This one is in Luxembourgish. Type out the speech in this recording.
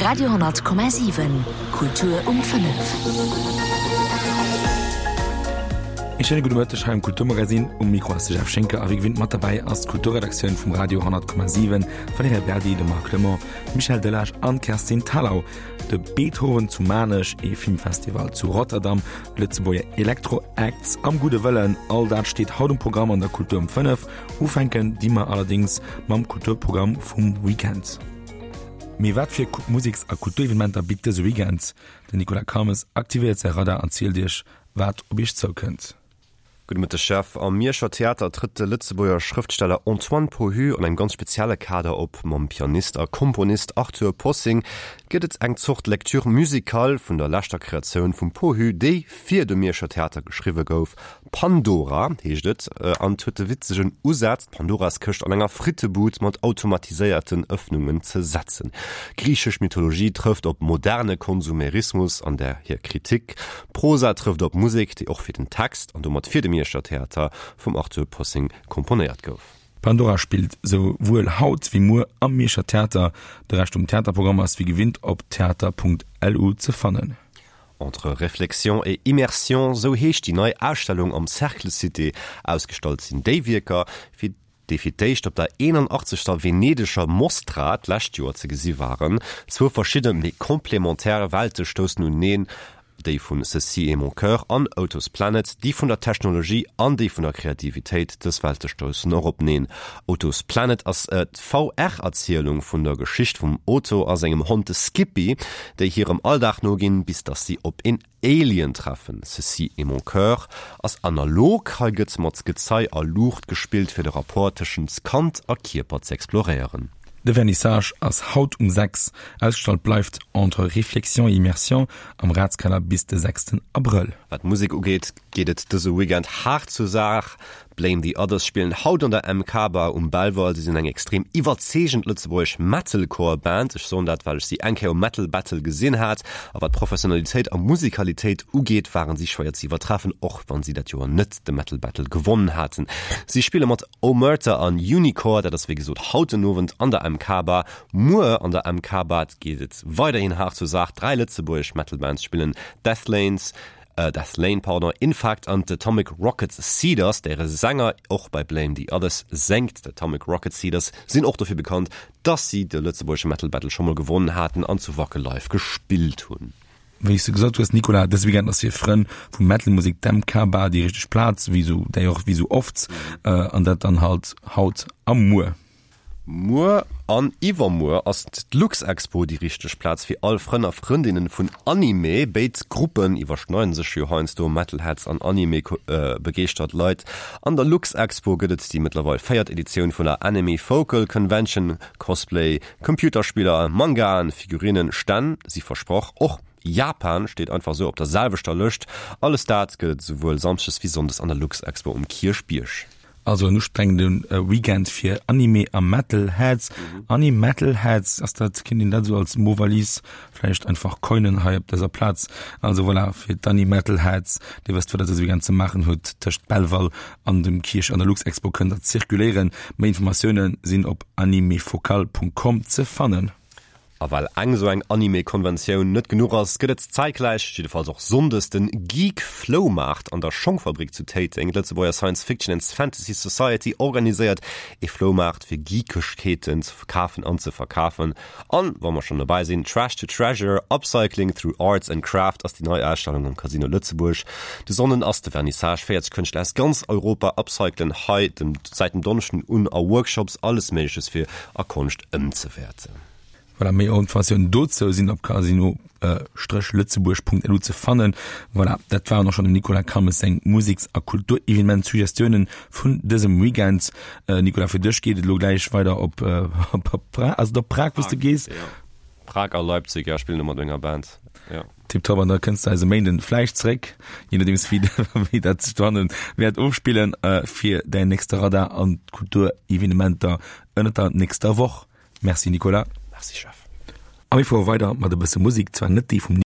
Radio 10,7 Kultur um 5. Ee schéine gudde Mëtteg hei um Kulturmagazin. Um Mikro ass de Jeff Schinker a wéi gewinnt mat derbäi ass d'Kulturredaktioun vum Radio 10,7, Valerija Berdi, de Marc Clement, d'Michèle Delage an d'Kerstin Thalau. De Beethoven zu Maarnech, ee Filmfestival zu Rotterdam, Lëtzebuerger Elektro-Acts am Gudde Wëllen, all dat steet haut um Programm an der Kultur um 5. Ufänken di mer allerdéngs mam Kulturprogramm vum Weekend. Mee wat fir Museks a Kulturevenementer bitt dëse Weekend? Den Nicolas Calmes aktivéiert säi Radar an zielt iech, wat op iech zoukënnt. Gudde Mëtteg Jeff. Am Mierscher Theater trëtt de Lëtzebuerger Schrëftsteller Antoine Pohu an engem ganz spezielle Kader op. Mam Pianist a Komponist Arthur Possing gëtt et eng Zort Lecture musicale vun der leschter Kreatioun vum Pohu, déi fir de Mierscher Theater geschriwwe gouf. Pandora heescht et an et huet de witzegen Usaz, d'Pandoraskëscht an enger Frittebud mat automatiséierten Ëffnungen ze setzen. Griichesch Mythologie trëfft op moderne Konsumerismus an där hir Kritik. Prosa trëfft op Musek, déi och fir den Text an domat fir de Mierscher Theater vum Arthur Possing komponéiert gouf. Pandora spillt sou wuel haut wéi muer am Mierscher Theater. De Rescht vum Theaterprogramm ass wéi gewinnt op theater.lu ze fannen. Entre réflexion et immersion, sou heescht déi nei Ausstellung am Cercle Cité. Ausgestallt sinn déi Wierker, fir déi fir d'éischt op der 81. Venedeger Mostra d'lescht Joer ze gesi waren. Zwou verschidde, mee complémentaire Welte stoussen uneneen, déi vun Ceci est mon cœur an Oto's Planet, déi vun der Technologie an déi vun der Kreativitéit. Dës Welte stoussen och openeen. Oto's Planet ass D'VR-Erzielung vun der Geschicht vum Otto a sengem Hond de Skippy, déi hirem Alldag noginn, bis dass si op een Alien treffen. Ceci est mon cœur ass analog, hei gëtt mat Gezei a Luucht gespillt, fir de Rapport tëschent Kand a Kierper z'exploréieren. De Vernissage ass haut um 6. Ausgestallt bleift Entre réflexion et immersion am Ratskeller bis de 6 Abrëll. Wat d'Musek ugeet, geet et dëse Weekend haart zur Saach. Blame the Others spillen haut an der MK Bar um Belval. Si sinn eng extrem iwwerzeegend lëtzebuergesch Metalcore Band. Ech soen dat, well ech si eng Kéier um Metal Battle gesinn hat. A wat Professionalitéit a Musikalitéit ugeet, waren si schwéier ze iwwertreffen, och wann si dat Joer net de Metal Battle gewonnen haten. Si spille mat Omerta an Unicore. Dat ass wéi gesot haut den Owend an der MK Bar. Muer an der MK Bar geet et weiderhin haart zur Saach. 3 lëtzebuergesch Metal Bands spillen, Deathlanes, Death Lane, pardon, Infact an d'Atomic Rocket Seeders, däre Sänger och bei Blame the Others séngt. D'Atomic Rocket Seeders sinn och dofir bekannt, dass si de lëtzebuergesche Metal Battle scho mol gewonnen haten an zu Wacke live gespillt hunn. Wéi s de gesot hues, Nicolas, dëse Weekend ass fir Frënn vu Metal-Musek d'MK Bar déi richteg Plaz, wéi sou d'ailleurs wéi sou oft, an dat dann halt haut a muer. Muer an iwwermuer ass d'Luxexpo déi richteg Plaz fir all Frënn a Frëndinnen vun Anime. Béid Gruppen iwwerschneiden sech jo heiansdo, Metalheads an Anime-begeeschtert Leit. An der Luxexpo gëtt et déi mëttlerweil véiert Editioun vun der Anime Focal Convention. Cosplay, Computerspiller, Mangaen, Figurinen, Stänn si versprach. Och Japan steet einfach sou op der selwechter Lëscht. Alles dat gëtt et esouwuel Samschdes wéi Sonndes an der Luxexpo um Kierchbierg. Also en ustrengende Weekend fir Anime a Metalheads. Animetalheads, ass dat, kéint een dat esou als Mot-valise vläicht einfach coinen hei op dëser Plaz? Also voilà, fir d'Animetalheads, dir wësst wat der dëse Weekend ze maachen hutt, tëscht Belval an dem Kierch an der Luxexpo kënnt der zirkuléieren. Méi Informatioune sinn op animefocal.com ze fannen. A well eng esou eng Anime-Konventioun net genuch ass, gëtt et zäitgläich, jiddefalls och Sonndes, den Geek Floumaart an der Schongfabrik zu Téiteng. D'Lëtzebuerger Science Fiction and Fantasy Society organiséiert ee Floumaart fir Geekegkeeten ze kafen an ze verkafen. An, wa mer schonn dobäi sinn, Trash to Treasure, Upcycling through Arts and Craft ass déi nei Ausstellung am Casino Lëtzebuerg. De Sonnden ass de Vernissage, 40 Kënschtler aus ganz Europa upcyclen hei säit dem Donneschden un a Workshops alles Méigleches fir a Konscht ëmzewäerten. Voilà, méi Informatiounen dozou sinn op casino-lëtzebuerg.lu ze fannen. Voilà, dat waren och schonn dem Nicolas Calmes seng Museks a Kulturevenement-Suggestiounen vun dësem Weekend. Nicolas, fir dech geet et elo gläich weider op Prag, ass et op Prag, wou s de gees? Jo, Prag a Leipzig, jo, ech spillen do mat menger Band, jo. Tiptop, an da kënns de eis e Méinden vläicht zréck, je nodeems wéi dat sech dohannen wäert ofspillen, fir däin nächste Radar an d'Kulturevenementer ënnert der nächster Woch. Merci Nicolas. Merci Jeff. A mir fuere weider mat e bësse Musek, zwar net déi vum.